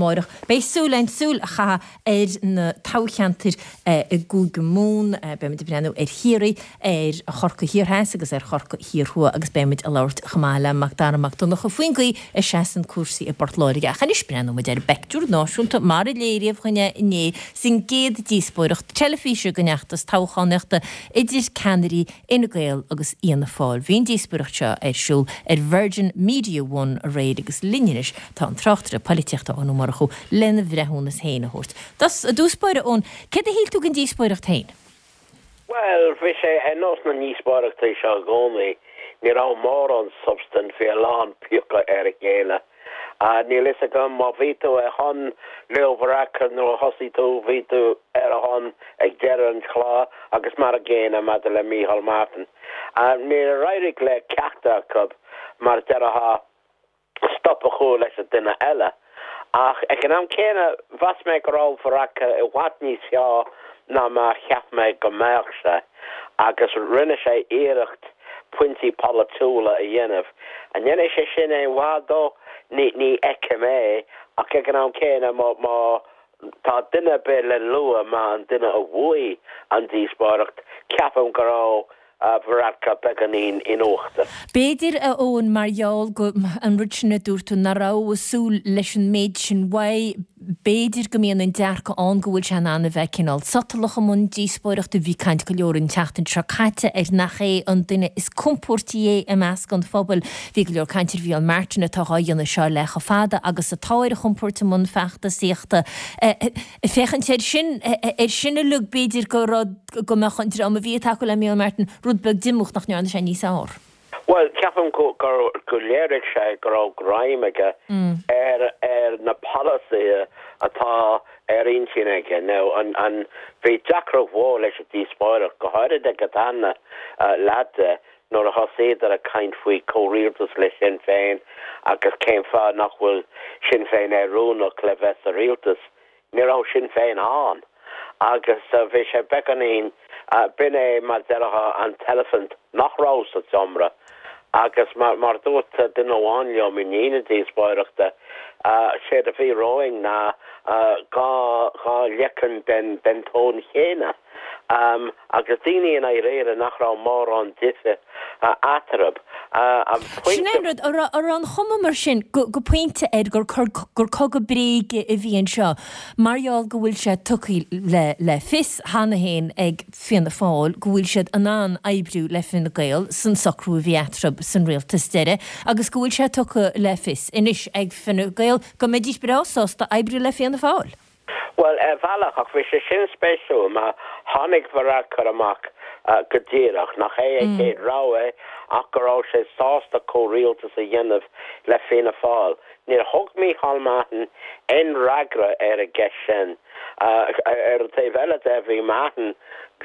amáireach. Beidh súil againn súil a chaitheamh ar na toghcheantair i gCúige Mumhan. Beidh muid ag breathnú ar Chiarraí, ar Chorcaigh Thiar Theas agus ar Chorcaigh Thiar Thuaidh agus beidh muid ag labhairt chomh maith le Macdara Mac Donncha faoin gcaoi a seasann cúrsaí i bPort Láirge. Ach anois breathnóidh muid ar an bpeictiúr náisiúnta mar a léiríodh dhúinn é inné san gcéad díospóireacht teilifíse den fheachtas toghchánaíochta idir ceannairí Fhine Gael agus Fhianna Fáil. Bhí an díospóireacht seo ar siúl ar Virgin Media One aréir agus linn anois tá an tráchtaire poilitíochta Eoin Ó Murchú lena bhreithiúnas féin a thabhairt. I dtús báire, Eoin, céard a shíl tú den díospóireacht féin? Bhuel, bhí sé ar nós na ndíospóireachtaí seo i gcónaí, ní raibh mórán substaint, bhí a lán piocadh ar a chéile. Níl fhios agam má bhí tú ar shon Leo Varadkar nuair a thosaigh tú, bhí tú ar a shon ag deireadh an chláir agus mar a gcéanna maidir le Micheál Martin. Níor éirigh le ceachtar acu, mar a déarfá, stop a chur leis an duine eile. Ach ag an am céanna, mheas mé go raibh Varadkar i bhfad níos fearr ná mar a cheap mé go mbeadh sé, agus rinne sé iarracht pointí polaitiúla a dhéanamh. An ndéanfaidh sé sin aon mhaith dó? Ní fheicim é, ach ag an am céanna, má tá duine ar bith le lua mar an duine a bhuaigh an díospóireacht, ceapaim go raibh Varadkar beagáinín in uachtar. B'fhéidir, a Eoin, mar gheall go, an rud sin a dúirt tú, nach raibh ag súil leis an méid sin uaidh, b'fhéidir go mbíonn an dearcadh ann go bhfuil sé in ann a bheith cineál sotalach i mbun díospóireachta. Bhí caint go leor an tseachtain seo caite ar nach é an duine is compóirtí é i measc an phobail. Bhí go leor cainte ar Mhícheál Martin atá dhá dhéanamh seo le chomh fada agus atá ar a chompóirt i mbun feachtasaíochta. Ag féachaint air sin, ar sin uilig, b'fhéidir go raibh, go mbeadh an dream a bhí ag tacú le Micheál Martin rud beag díomách nach ndearna sé níos fearr. Bhuel, ceapaim gur, gur léirigh sé go raibh greim aige ar, ar na polasaithe atá ar intinn aige. Now, an, an, bhí deacracht mhór leis an díospóireacht, go háirid ag an dara leath de, nuair a thosaíodar ag caint faoi chomhrialtas le Sinn Féin agus cén fáth nach bhfuil Sinn Féin oiriúnach le bheith sa rialtas, ní raibh Sinn Féin ann agus bhí sé beagáinín, b'in é mar déarfá an t-eilifint nach raibh sa tseomra agus mar mar dúirt duine amháin liom i ndiaidh na díospóireachta, séard a bhí romhainn ná 2 leiceann den den tóin chéanna. Agus daoine i ndáiríre nach raibh mórán difir eatarthu. An Sin é an rud, an raibh an chuma mar sin go pointe air gur cogadh bréige a bhí anseo mar gheall go bhfuil sé tugtha le fios cheana féin ag Fianna Fáil go bhfuil siad in ann oibriú le Fine Gael san socrú a bhí eatarthu san rialtas deiridh agus go bhfuil sé tugtha le fios anois ag Fine Gael go mbeidís breá sásta oibriú le Fianna Fáil? Bhuel, ar bhealach, ach bhí sé sin spéisiúil mar tháinig Varadkar amach go díreach nach é a chéad rogha é ach go raibh sé sásta comhrialtas a dhéanamh le Fianna Fáil. Níor thug Micheál Martin aon fhreagra ar an gceist sin. Ar an taobh eile de, bhí Martin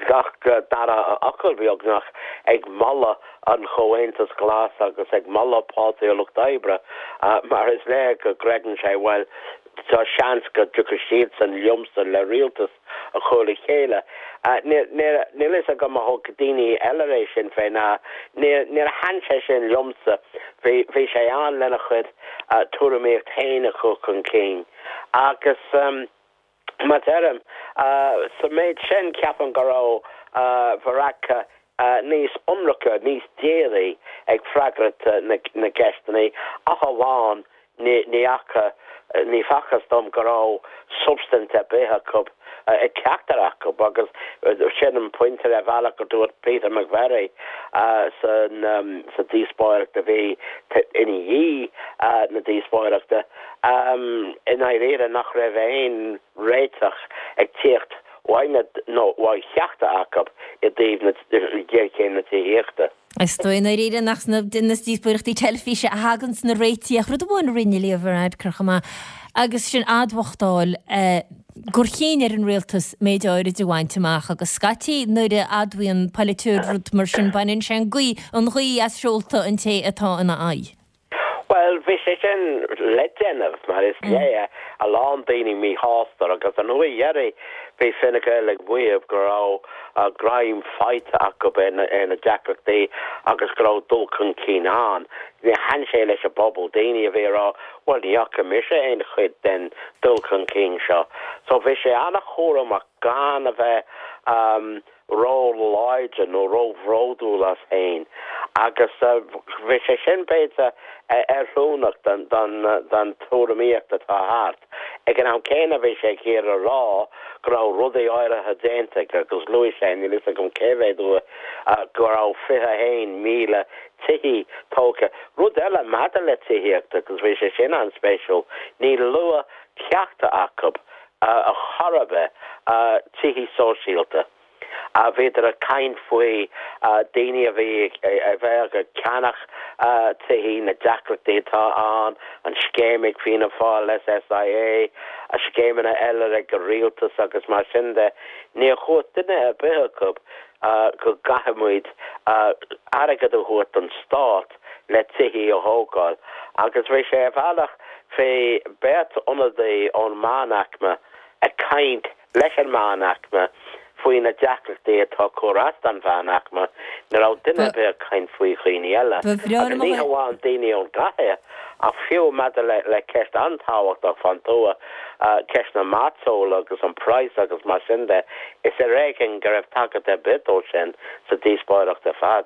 gach dara fhocal, beagnach, ag moladh an Chomhaontais Ghlas agus ag moladh Páirtí an Lucht Oibre mar is léir go gcreideann sé, bhuel, Tá seans go dtiocfaidh siadsan liomsa le rialtas a chur le chéile. Níl fhios agam ar thug daoine eile é sin fé ndeara. Níor thaitin sé sin liomsa. Bhí sé ann lena chuid tuairimíocht féin a chur chun cinn. Agus mar deirim, sa méid sin ceapaim go raibh Varadkar níos ionraice, níos dírí ag freagairt na gceisteanna, ach amháin ní fhaca, ní facthas dom go raibh substaint ar bith acu, ag ceachtar acu agus sin an pointe ar bhealach a dúirt Peter McVerry sa díospóireacht a bhí ina dhiaidh na díospóireachta, i ndáiríre nach raibh aon réiteach ag tíocht uaidh nó uaidh cheachtar acu i dtaobh ghéarchéim na tithíochta. Is dóigh i ndáiríre nach sna díospóireachtaí teilifíse a thaganns na réitigh ach rud amháin a rinne Leo Varadkar chomh maith agus sin admhachtáil gur chinn ar an rialtas méid áirid a bhaint amach agus scaití nuair a admhaíonn polaiteoir rud mar sin baineann sé an ghaoth as seolta an té atá ina aghaidh. Bhuel, bhí sé sin le déanamh, mar is léir, a lán daoine míshásta agus an uair dheiridh bhí Fine Gael ag maíomh go raibh greim faighte acu ar na deacrachtaí agus go raibh dul chun cinn ann. Níor thaitin sé leis an bpobal, daoine a bhí ag rá bhuel ní fhaca mise aon chuid den dul chun cinn seo. So bhí sé an-chúramach gan a bheith ró-láidir nó ró-bhródúil as féin agus bhí sé sin, b'fhéidir, oiriúnach don tuairimíocht atá thart. Ag an am céanna bhí sé ag iarraidh a rá go raibh rudaí áirithe déanta aige agus luaigh sé, níl fhios agam cé mhéad uair, go raibh 21,000 tithí tógtha. Rud eile maidir le tithíocht agus bhí sé sin an-spéisiúil, níor luadh ceachtar acu ar chor ar bith, tithí sóisialta. Bhíodar ag caint faoi daoine a bhí a bheadh ag ceannach tithí, na deacrachtaí atá ann, an scéim ag Fianna Fáil, SSIA, scéimeanna eile ag an rialtas agus mar sin de. Níor dhúirt duine ar bith acu go gcaithfimid airgead a thabhairt don stát le tithí a thógáil agus bhí sé ar bhealach Bhí beirt ionadaí ón meánaicme ag caint leis an meánaicme faoi na deacrachtaí atá ag cur as don mheánaicme. Ní raibh duine ar bith ag caint faoi dhaoine eile. Agus ní hamháin daoine ón gcathair, ach fiú maidir le ceist an-tábhachtach fán tuath, ceist na mairteola agus an praghas agus mar sin de, is ar éigean go raibh tagairt ar bith dó sin sa díospóireacht ar fad.